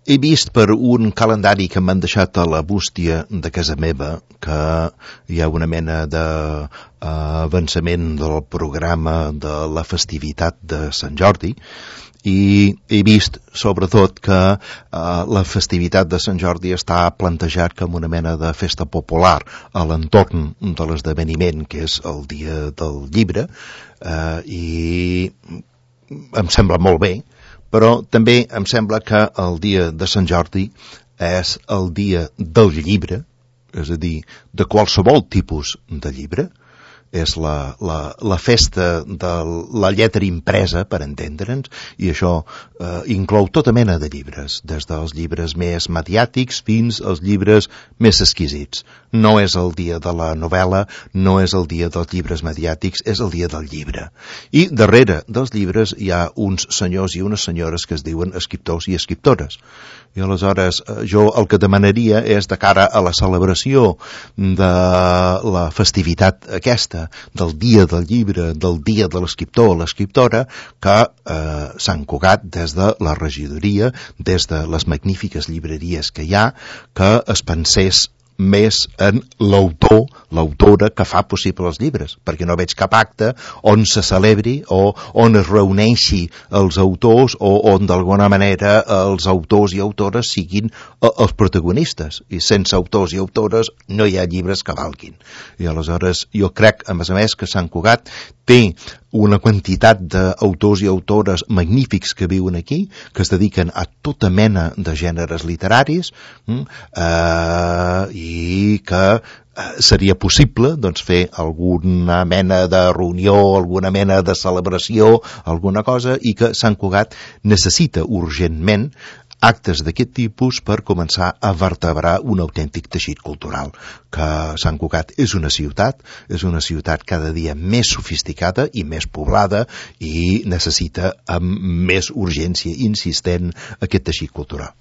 He vist per un calendari que m'han deixat a la bústia de casa meva que hi ha una mena d'avançament del programa de la festivitat de Sant Jordi, i he vist, sobretot, que la festivitat de Sant Jordi està plantejat com una mena de festa popular a l'entorn de l'esdeveniment, que és el Dia del Llibre, i em sembla molt bé, però també em sembla que el dia de Sant Jordi és el dia del llibre, és a dir, de qualsevol tipus de llibre. És la festa de la lletra impresa, per entendre'ns, i això inclou tota mena de llibres, des dels llibres més mediàtics fins als llibres més exquisits. No és el dia de la novel·la, no és el dia dels llibres mediàtics, és el dia del llibre. I darrere dels llibres hi ha uns senyors i unes senyores que es diuen escriptors i escriptores. I aleshores jo el que demanaria és, de cara a la celebració de la festivitat aquesta, del dia del llibre, del dia de l'escriptor o l'escriptora, que Sant Cugat, des de la regidoria, des de les magnífiques llibreries que hi ha, que es pensés més en l'autor, l'autora que fa possible els llibres, perquè no veig cap acte on se celebri o on es reuneixi els autors o on d'alguna manera els autors i autores siguin els protagonistes, i sense autors i autores no hi ha llibres que valguin. I aleshores jo crec, a més, que Sant Cugat té una quantitat d'autors i autores magnífics que viuen aquí, que es dediquen a tota mena de gèneres literaris, i que seria possible fer alguna mena de reunió, alguna mena de celebració, alguna cosa, i que Sant Cugat necessita urgentment actes d'aquest tipus per començar a vertebrar un autèntic teixit cultural. Que Sant Cugat és una ciutat cada dia més sofisticada i més poblada, i necessita amb més urgència insistent aquest teixit cultural.